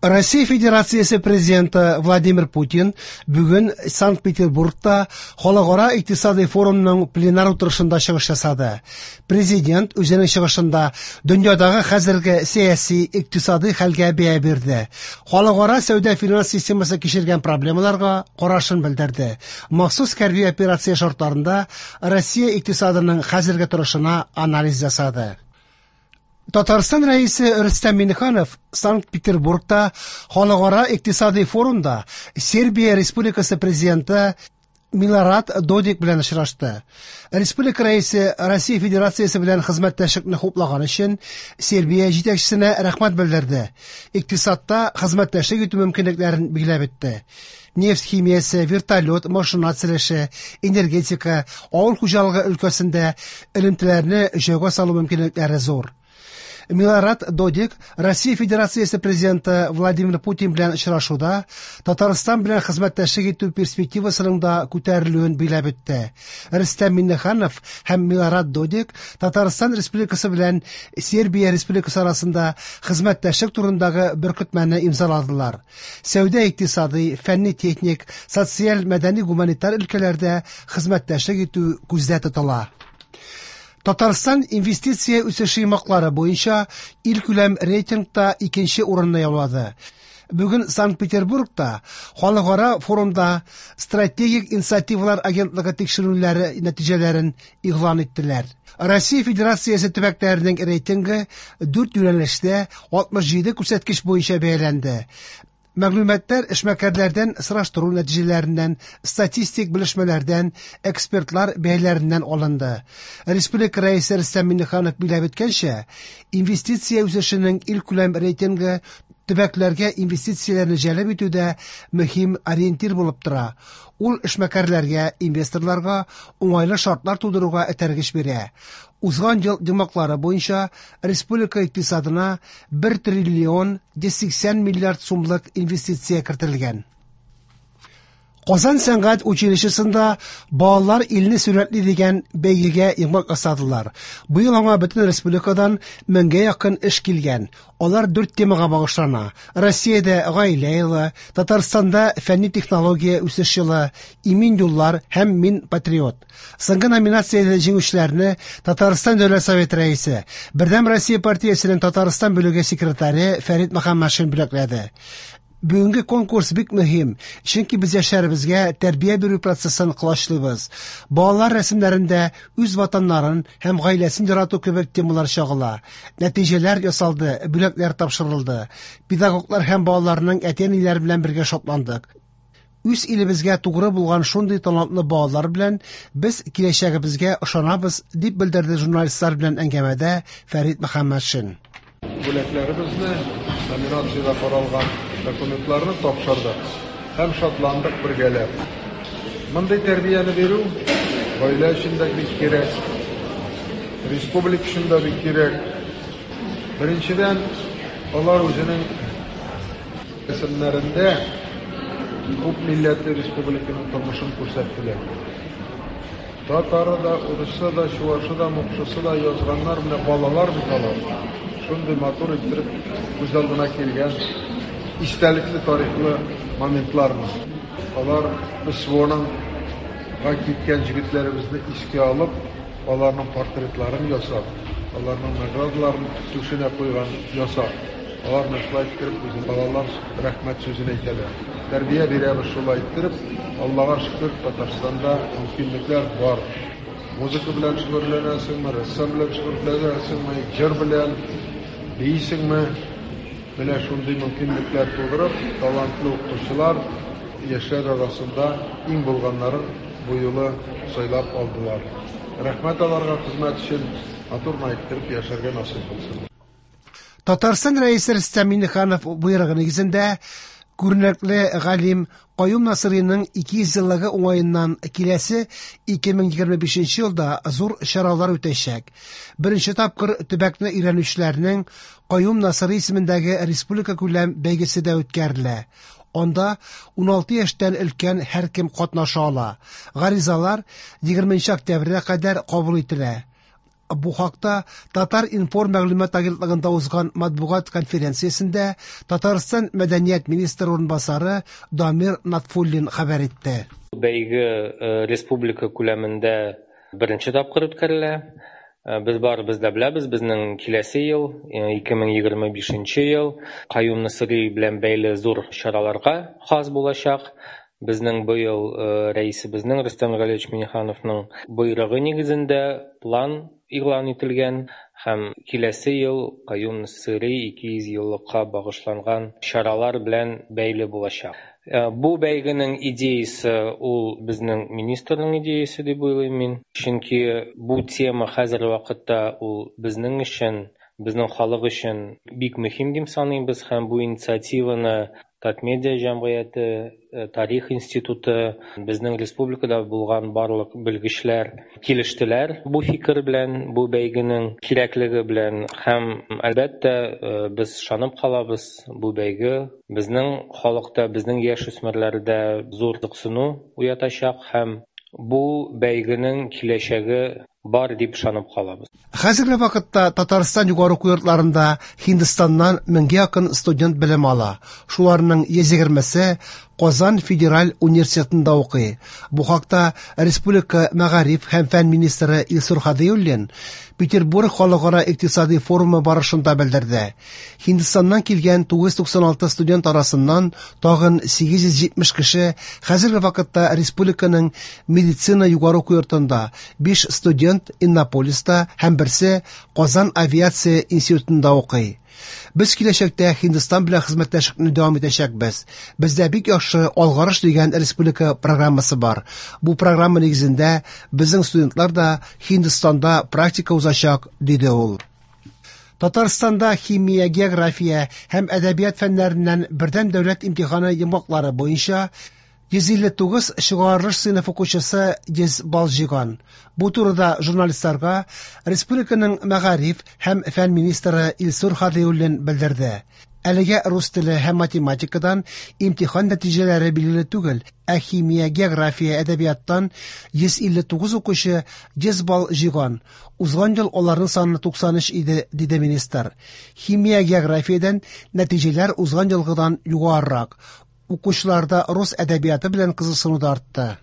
Россия Федерациясе президенты Владимир Путин бүген Санкт-Петербургта Халыкара икътисадый форумның пленар утырышында чыгыш ясады. Президент үзенең чыгышында дөньядагы хәзерге сәяси, икътисадый хәлгә бәя бирде. Халыкара сәүдә-финанс системасы кичергән проблемаларга карашын белдерде. Махсус хәрби операция шартларында Россия икътисадының хәзерге торышына анализ ясады. Татарстан Рәисе Рөстәм Миңнеханов Санкт-Петербургта Халыкара икътисадый форумда Сербия Республикасы президенты Милорад Додик белән очрашты. Республика Рәисе Россия Федерациясе белән хезмәттәшлекне хуплаган өчен Сербия җитәкчесенә рәхмәт белдерде. Икътисадта хезмәттәшлек итү мөмкинлекләрен билгеләп үтте. Нефть химиясе, вертолет, машина төзелеше, энергетика, авыл хуҗалыгы өлкәсендә элемтәләрне җайга салу мөмкинлекләре зур. Милорад Додик Россия Федерациясе президенты Владимир Путин белән очрашуда Татарстан белән хезмәттәшлек итү перспективасының да күтәрелүен билгеләп үтте. Рөстәм Миңнеханов һәм Милорад Додик Татарстан Республикасы белән Сербия Республикасы арасында хезмәттәшлек турындагы беркетмәне имзаладылар. Сәүдә-икътисадый, фәнни-техник, социаль, мәдәни-гуманитар өлкәләрдә хезмәттәшлек итү күздә тотыла. Татарстан инвестиция үсеше йомгаклары буенча илкүләм рейтингта икенче урынны яулады. Бүген Санкт-Петербургта Халыкара форумда Стратегик инициативалар агентлыгы тикшерүләре нәтиҗәләрен игълан иттеләр. Россия Федерациясе төбәкләренең рейтингы 4 юнәлештә 67 күрсәткеч буенча бәяләнде. Мәгълүматлар эшмәкәрләрдән сораштыру нәтиҗәләреннән, статистик белешмәләрдән, экспертлар бәяләреннән алынды. Республика Рәисе Рөстәм Миңнеханов билгеләп үткәнчә, инвестиция үсешенең илкүләм рейтингы төбәкләргә инвестицияләрне җәлеп итүдә мөһим ориентир булып тора. Ул эшмәкәрләргә, инвесторларга уңайлы шартлар тудыруга этәргеч бирә. Узган ел йомгаклары буенча республика икътисадына 1 триллион 180 миллиард сумлык инвестиция кертелгән. Казан сәнгать училищесында балалар илне сурәтли дигән бәйгегә йомгак ясадылар. Быел аңа бөтен республикадан меңгә якын эш килгән. Алар дүрт темага багышлана. Россиядә гаилә елы, Татарстанда фәнни технология үсеш елы, имин юллар һәм мин патриот. Соңгы номинациядә җиңүчеләрне Татарстан Дәүләт Советы рәисе, Бердәм Россия партиясенең Татарстан бүлеге секретаре Фәрит Мөхәммәтшин бүләкләде. Бүгенге конкурс бик мөһим, чөнки без яшьләребезгә тәрбия бирү процессын колачлыйбыз. Балалар рәсемнәрендә үз ватаннарын һәм гаиләсен ярату кебек темалар чагыла. Нәтиҗәләр ясалды, бүләкләр тапшырылды. Педагоглар һәм балаларның әти-әниләре белән бергә шатландык. Үз илебезгә тугры булган шундый талантлы балалар белән без киләчәгебезгә ышанабыз, дип белдерде журналистлар белән әңгәмәдә Фәрит Мөхәммәтшин. Бүләкләребезне, номинациядә каралган документларны тапшырдык һәм шатландык бергәләп. Мондый тәрбияне бирү гаилә өчен дә бик кирәк, республика өчен дә бик кирәк. Беренчедән, алар үзенең рәсемнәрендә күп милләтле республиканың тормышын күрсәттеләр. Татары да, урысы да, чуашы да, мукшысы да язганнар, менә балалар бит алар. Шундый матур иттереп күз алдына килгән истәлекле тарихлы моментларны. Алар СВОның га киткән җегетләребезне искә алып, аларның портретларын ясап, аларның наградаларын түшенә куйган ясап, алар менә шулай иттереп үзен балалар рәхмәт сүзен әйтәләр. Тәрбия бирәбез шулай иттереп. Аллага шөкер, Татарстанда мөмкинлекләр бар. Музыка белән шөгыльләнәсеңме, рәссам белән шөгыльләнәсеңме, җыр белән биисеңме? Менә шундый мөмкинлекләр тудырып, талантлы укытучылар яшьләр арасында иң булганнарын бу юлы сайлап алдылар. Рәхмәт аларга хезмәт өчен, матур гына иттереп яшәргә насыйп булсын. Татарстан Рәисе Рөстәм Миңнеханов боерыгы нигезендә күренекле галим Каюм Насыйриның 200 еллыгы уңаеннан киләсе 2025 елда зур чаралар үтәчәк. Беренче тапкыр төбәкне өйрәнүчеләрнең Каюм Насыйри исемендәге республика күләм бәйгесе дә үткәрелә. Анда 16 яшьтән өлкән һәркем катнаша ала. Гаризалар 20 октябрьгә кадәр кабул ителә. Бу хакта Татар-информ мәгълүмат агентлыгында узган матбугат конференциясендә Татарстан мәдәният министры урынбасары Дамир Натфуллин хәбәр итте. Бәйге республика күләмендә беренче тапкыр үткәрелә. Без барыбыз да беләбез, безнең киләсе ел, 2025 ел, Каюм Насыйри белән бәйле зур чараларга хас булачак. Безнең быел рәисебезнең Рөстәм Галиевич Миннихановның боерыгы нигезендә план игълан ителгән һәм киләсе ел Каюм Насыйри 200 еллыкка багышланган чаралар белән бәйле булачак. Бу бәйгенең идеясы ул безнең министрның идеясы дип уйлыйм мин. Чөнки бу тема хәзерге вакытта ул безнең өчен, безнең халык өчен бик мөһим дип саныйбыз һәм бу инициативаны Татмедиа җәмгыяте, Тарих институты, безнең республикада булган барлык белгечләр килештеләр бу фикер белән, бу бәйгенең кирәклеге белән һәм әлбәттә без ышанып калабыз, бу бәйге безнең халыкта, безнең яшь үсмерләрдә зур кызыксыну уятачак һәм бу бәйгенең киләчәге бар дип ышанып калабыз. Хәзерге вакытта Татарстан югары уку йортларында Һиндстаннан меңгә якын студент белем ала. Шуларның 120-се Казан федераль университетында укый. Бу хакта республика мәгариф һәм фән министры Илсур Һадиуллин Петербург халыкара икътисади форумы барышында белдерде. Һиндстаннан килгән 996 студент арасыннан тагын 870 кеше хәзерге вакытта республиканың медицина югары уку йортында, 5 студент Иннополиста һәм берсе Казан авиация институтында укый. Без киләчәктә Һиндстан белән хезмәттәшлекне дәвам итәчәкбез. Бездә бик яхшы Алгарыш дигән республика программасы бар. Бу программа нигезендә безнең студентлар да Һиндстанда практика узачак, диде ул. Татарстанда химия, география һәм әдәбият фәннәреннән бердәм дәүләт имтиханы йомгаклары буенча 159 чыгарылыш сыйныф укучысы 100 балл җыйган. Бу турыда журналистларга республиканың мәгариф һәм фән министры Илсур Һадиуллин белдерде. Әлегә рус теле һәм математикадан имтихан нәтиҗәләре билгеле түгел, ә химия, география, әдәбияттан 159 укучы 100 балл җыйган. Узган ел аларның саны 93 иде, диде министр. Химия, географиядән нәтиҗәләр узган елгыдан югарырак. Укучыларда рус әдәбияты белән кызыксыну да артты.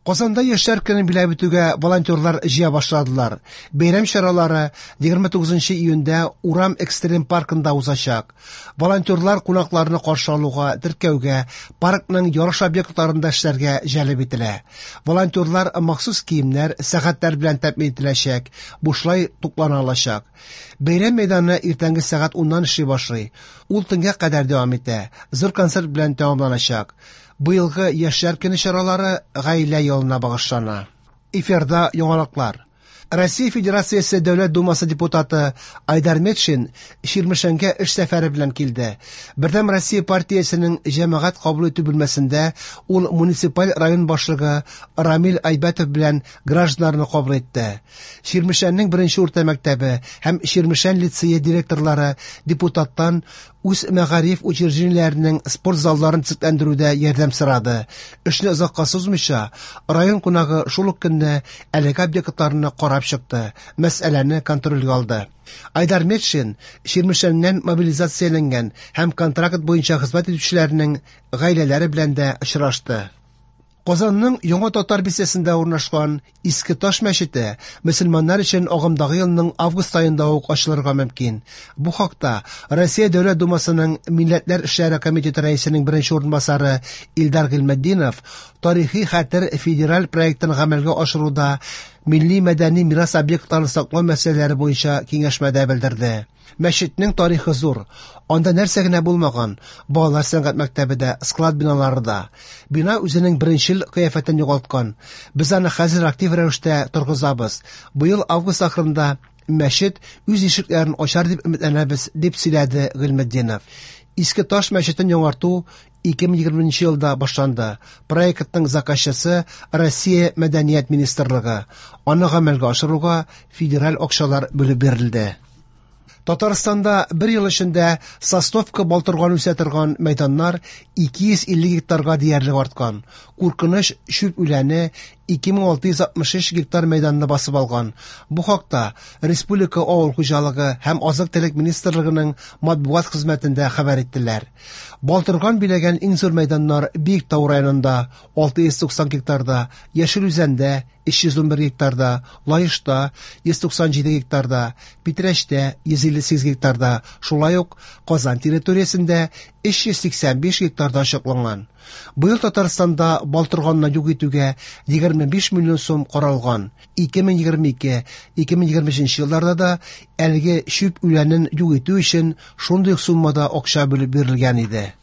Казанда яшьләр көнен биләп үтүгә волонтерлар җыя башладылар. Бәйрәм чаралары 29 июньдә Урам экстрим паркында узачак. Волонтерлар кунакларны каршы алуга, теркәүгә, паркның ярыш объектларында эшләргә җәлеп ителә. Волонтерлар махсус киемнәр, сәгатьләр белән тәэмин ителәчәк, бушлай туклана алачак. Бәйрәм мәйданы иртәнге сәгать 10-нан эшли башлый. Ул төнгә кадәр дәвам итә. Зур концерт белән тәмамланачак. Быелгы яшьләр көне чаралары гаилә елына багышлана. Эфирда яңалыклар. Россия Федерациясе Дәүләт Думасы депутаты Айдар Метшин Чирмешәнгә эш сәфәре белән килде. Бердәм Россия партиясенең җәмәгать кабул итү бүлмәсендә ул муниципаль район башлыгы Рамил Айбәтов белән гражданнарны кабул итте. Чирмешәннең беренче урта мәктәбе һәм Чирмешән лицее директорлары депутаттан үз мәгариф учреждениеләренең спорт залларын төзекләндерүдә ярдәм сорады. Эшне озакка сузмыйча, район кунагы шул ук көнне әлеге объектларны карап чыкты, мәсьәләне контрольгә алды. Айдар Метшин Чирмешәннән мобилизацияләнгән һәм контракт буенча хезмәт итүчеләрнең гаиләләре белән дә очрашты. Казанның Яңа Татар бистәсендә урнашкан Иске Таш мәчете мөселманнар өчен агымдагы елның август аенда ук ачылырга мөмкин. Бу хакта Россия Дәүләт Думасының Милләтләр эшләре комитеты рәисенең беренче урынбасары Илдар Гыйльметдинов Тарихи хәтер федераль проектын гамәлгә ашыруда милли мәдәни мирас объектларын саклау мәсьәләләре буенча киңәшмәдә белдерде. Мәчетнең тарихы зур. Анда нәрсә генә булмаган: балалар сәнгать мәктәбе дә, склад биналары да. Бина үзенең беренчел кыяфәтен югалткан. Без аны хәзер актив рәвештә торгызабыз. Быел август ахырында мәчет үз ишекләрен ачар дип өметләнәбез, дип сөйләде Гыйльметдинов. Иске Таш мәчетен яңарту 2020 елда башланды. Проектның заказчысы Россия Мәдәният министрлыгы. Аны гамәлгә ашыруга федераль акчалар бүлеп бирелде. Татарстанда бер ел эчендә Сосновка балтырган үсә торган мәйданнар 250 гектарга диярлек арткан. Куркыныч чүп үләне 2663 гектар мәйданны басып алган. Бу хакта Республика авыл хуҗалыгы һәм азык-төлек министрлыгының матбугат хезмәтендә хәбәр иттеләр. Балтырган биләгән иң зур мәйданнар Биектау районында 690 гектарда, Яшел Үзәндә 311 гектарда, Лаешта 197 гектарда, Питрәчтә 158 гектарда, шулай ук Казан территориясендә 385 гектарда ачыкланган. Быел Татарстанда балтырганны юк итүгә 25 миллион сум каралган. 2022-2023 елларда да әлеге чүп үләнен юк итү өчен шундый ук суммада акча бүлеп бирелгән иде.